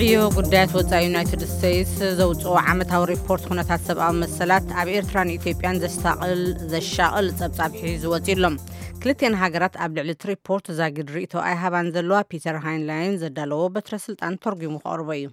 ዕዮ ጉዳያት ወጻኢ ዩናይትድ ስቴትስ ዘውጽኦ ዓመታዊ ሪፖርት ኩነታት ሰብኣዊ መሰላት ኣብ ኤርትራን ኢትዮጵያን ዘሻቕል ዘሻቕል ጸብጻብ ሒዙ ወጺኡ ኣሎ። ክልቲኣን ሃገራት ኣብ ልዕሊ እቲ ሪፖርት ዛጊድ ርእይቶ ኣይሃባን ዘለዋ። ፒተር ሃይንላይን ዘዳለዎ በትረ ስልጣን ተርጒሙ ከቕርቦ እዩ።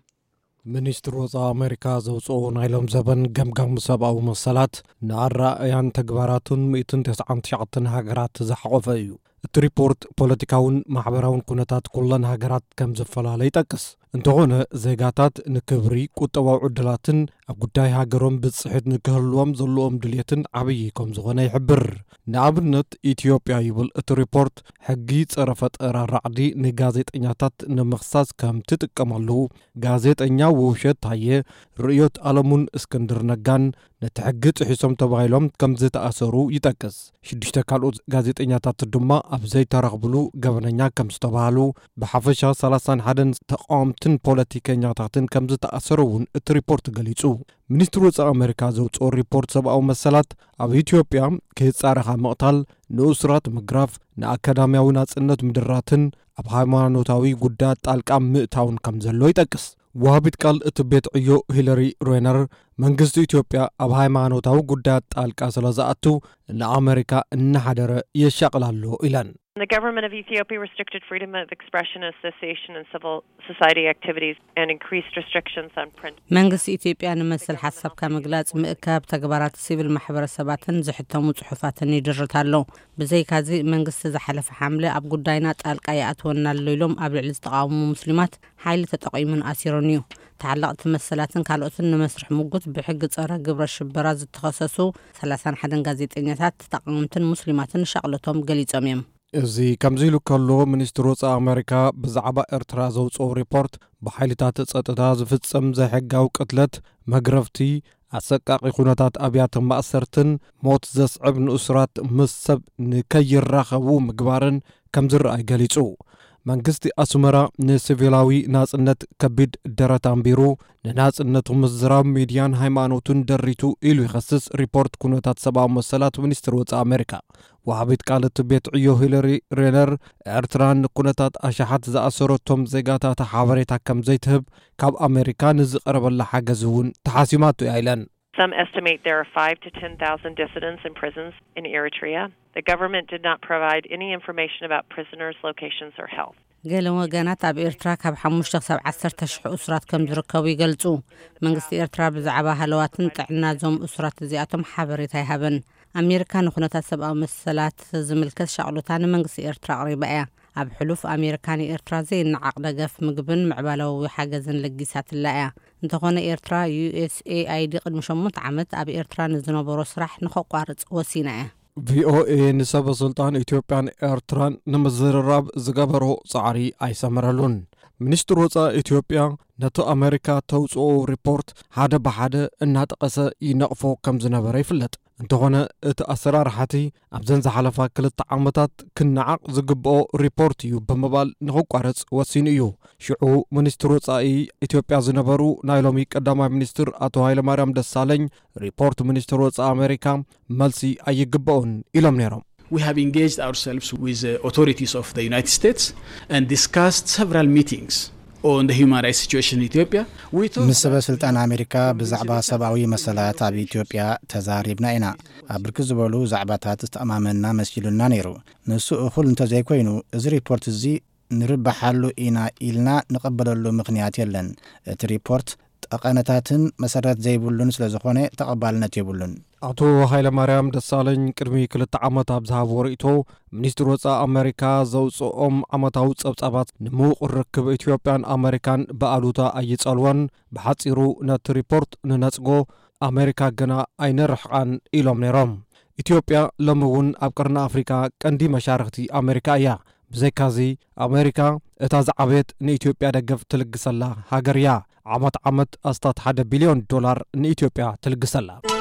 ሚኒስትሪ ወጻኢ ኣሜሪካ ዘውጽኦ ናይ ሎም ዘበን ገምጋም ሰብኣዊ መሰላት ንኣረኣእያን ተግባራቱን ሚእትን ተስዓን ትሽዓተን ሃገራት ዝሓቖፈ እዩ። እቲ ሪፖርት ፖለቲካውን ማሕበራውን ኩነታት ኩለን ሃገራት ከም ዝፈላለ ይጠቅስ። እንተኾነ ዜጋታት ንክብሪ ቁጠባዊ ዕድላትን ኣብ ጉዳይ ሃገሮም ብጽሒት ንክህልዎም ዘለዎም ድልየትን ዓብዪ ከም ዝኾነ ይሕብር። ንኣብነት ኢትዮጵያ ይብል እቲ ሪፖርት ሕጊ ጸረ ፈጠራ ራዕዲ ንጋዜጠኛታት ንምኽሳስ ከም ትጥቀመሉ፣ ጋዜጠኛ ውብሸት ታየ፣ ርእዮት ኣለሙን እስክንድር ነጋን ነቲ ሕጊ ጥሒሶም ተባሂሎም ከም ዝተኣሰሩ ይጠቅስ። ሽዱሽተ ካልኦት ጋዜጠኛታት ድማ ኣብ ዘይተረኽብሉ ገበነኛ ከም ዝተባህሉ፣ ብሓፈሻ ሰላሳን ሓደን ተቃወምትን ፖለቲከኛታትን ከም ዝተኣሰሩ እውን እቲ ሪፖርት ገሊጹ። ሚኒስትሪ ወጻኢ ኣሜሪካ ዘውጽኦ ሪፖርት ሰብኣዊ መሰላት ኣብ ኢትዮጵያ ከይጻረኻ ምቕታል፣ ንእሱራት ምግራፍ፣ ንኣካዳሚያዊ ናጽነት ምድራትን ኣብ ሃይማኖታዊ ጉዳያት ጣልቃ ምእታውን ከም ዘሎ ይጠቅስ። ወሃቢት ቃል እቲ ቤት ዕዮ ሂለሪ ሬነር፣ መንግስቲ ኢትዮጵያ ኣብ ሃይማኖታዊ ጉዳያት ጣልቃ ስለ ዝኣቱ ንኣሜሪካ እናሓደረ የሻቕል ኣሎ ኢለን። The government of Ethiopia restricted freedom of expression, association, and civil society activities and increased restrictions on print. መንግስቲ ኢትዮጵያ ንመሰል ሓሳብካ ምግላጽ፣ ምእካብ፣ ተግባራት ሲቪል ማሕበረሰባትን ዝሕተሙ ጽሑፋትን ይድርት ኣሎ። ብዘይካዚ መንግስቲ ዝሓለፈ ሓምለ ኣብ ጉዳይና ጣልቃ ይኣትወና ኣሎ ኢሎም ኣብ ልዕሊ ዝተቓወሙ ሙስሊማት ሓይሊ ተጠቒሙን ኣሲሩን እዩ። ተዓለቕቲ መሰላትን ካልኦትን ንመስርሕ ምጉት ብሕጊ ጸረ ግብረ ሽበራ ዝተኸሰሱ ሰላሳን ሓደን ጋዜጠኛታት፣ ተቓወምትን ሙስሊማትን ሻቕለቶም ገሊጾም እዮም። እዚ ከምዚ ኢሉ ከሎ፣ ሚኒስትሪ ወጻኢ ኣሜሪካ ብዛዕባ ኤርትራ ዘውጽኦ ሪፖርት ብሓይልታት ጸጥታ ዝፍጸም ዘይሕጋዊ ቅትለት፣ መግረፍቲ፣ ኣሰቃቂ ኩነታት ኣብያተ ማእሰርትን ሞት ዘስዕብ ንእሱራት ምስ ሰብ ንከይራኸቡ ምግባርን ከም ዝረኣይ ገሊጹ። መንግስቲ ኣስመራ ንሲቪላዊ ናጽነት ከቢድ ደረት ኣንቢሩ፣ ንናጽነቱ ምዝራብ ሚድያን ሃይማኖትን ደሪቱ ኢሉ ይኸስስ ሪፖርት ኩነታት ሰብኣዊ መሰላት ሚኒስትሪ ወጻኢ ኣሜሪካ። ወሃቢት ቃል እቲ ቤት ዕዮ ሂለሪ ሬነር፣ ኤርትራ ንኩነታት ኣሽሓት ዝኣሰረቶም ዜጋታታ ሓበሬታ ከም ዘይትህብ፣ ካብ ኣሜሪካ ንዝቐረበላ ሓገዝ እውን ተሓሲማቶ እያ ኢለን። Some estimate there are five to ten thousand dissidents in prisons in Eritrea. The government did not provide any information about prisoners' locations or health. ገለ ወገናት ኣብ ኤርትራ ካብ ሓሙሽተ ክሳብ ዓሰርተ ሽሕ እሱራት ከም ዝርከቡ ይገልጹ። መንግስቲ ኤርትራ ብዛዕባ ሃለዋትን ጥዕና እዞም እሱራት እዚኣቶም ሓበሬታ ኣይሃበን። ኣሜሪካ ንኩነታት ሰብኣዊ መሰላት ዝምልከት ሻቕሎታ ንመንግስቲ ኤርትራ ኣቕሪባ እያ። ኣብ ሕሉፍ ኣሜሪካ ንኤርትራ ዘይነዓቕ ደገፍ ምግብን ምዕባለዊ ሓገዝን ለጊሳትላ እያ። እንተኾነ ኤርትራ፣ ዩ ኤስ ኤ ኣይ ዲ ቅድሚ ሸሞንተ ዓመት ኣብ ኤርትራ ንዝነበሮ ስራሕ ንኸቋርጽ ወሲና እያ። ቪ ኦ ኤ ንሰበ ስልጣን ኢትዮጵያን ኤርትራን ንምዝርራብ ዝገበሮ ጻዕሪ ኣይሰመረሉን። ሚኒስትሪ ወጻኢ ኢትዮጵያ ነቲ ኣሜሪካ ተውጽኦ ሪፖርት ሓደ ብሓደ እናጠቐሰ ይነቕፎ ከም ዝነበረ ይፍለጥ። እንተኾነ እቲ ኣሰራርሓቲ ኣብዘን ዝሓለፋ ክልተ ዓመታት ክነዓቕ ዝግብኦ ሪፖርት እዩ ብምባል ንኽቋረጽ ወሲኑ እዩ። ሽዑ ሚኒስትሪ ወጻኢ ኢትዮጵያ ዝነበሩ ናይ ሎሚ ቀዳማይ ሚኒስትር ኣቶ ሃይለማርያም ደሳለኝ ሪፖርት ሚኒስትሪ ወጻኢ ኣሜሪካ መልሲ ኣይግብኦን ኢሎም ነይሮም። We have engaged ourselves with the authorities of the United States and discussed several meetings on the human rights situation in Ethiopia. We talked ምስ ሰበ ስልጣን ኣሜሪካ ብዛዕባ ሰብኣዊ መሰላት ኣብ ኢትዮጵያ ተዛሪብና ኢና። ኣብ ብርክት ዝበሉ ዛዕባታት ዝተኣማመንና መሲሉና ነይሩ። ንሱ እኹል እንተዘይኮይኑ፣ እዚ ሪፖርት እዚ ንርባሓሉ ኢና ኢልና ንቐበለሉ ምኽንያት የለን። እቲ ሪፖርት ጠቐነታትን መሰረት ዘይብሉን ስለ ዝኾነ ተቐባልነት የብሉን። ኣቶ ሃይለማርያም ደሳለኝ ቅድሚ ክልተ ዓመት ኣብ ዝሃብዎ ርእይቶ፣ ሚኒስትሪ ወጻኢ ኣሜሪካ ዘውጽኦም ዓመታዊ ጸብጻባት ንምዉቕ ርክብ ኢትዮጵያን ኣሜሪካን ብኣሉታ ኣይጸልዎን። ብሓጺሩ ነቲ ሪፖርት ንነጽጎ፣ ኣሜሪካ ግና ኣይነርሕቓን ኢሎም ነይሮም። ኢትዮጵያ ሎሚ እውን ኣብ ቀርኒ ኣፍሪካ ቀንዲ መሻርኽቲ ኣሜሪካ እያ። ብዘይካዚ ኣሜሪካ እታ ዝዓበየት ንኢትዮጵያ ደገፍ ትልግሰላ ሃገር እያ። ዓመት ዓመት ኣስታት ሓደ ቢልዮን ዶላር ንኢትዮጵያ ትልግሰላ።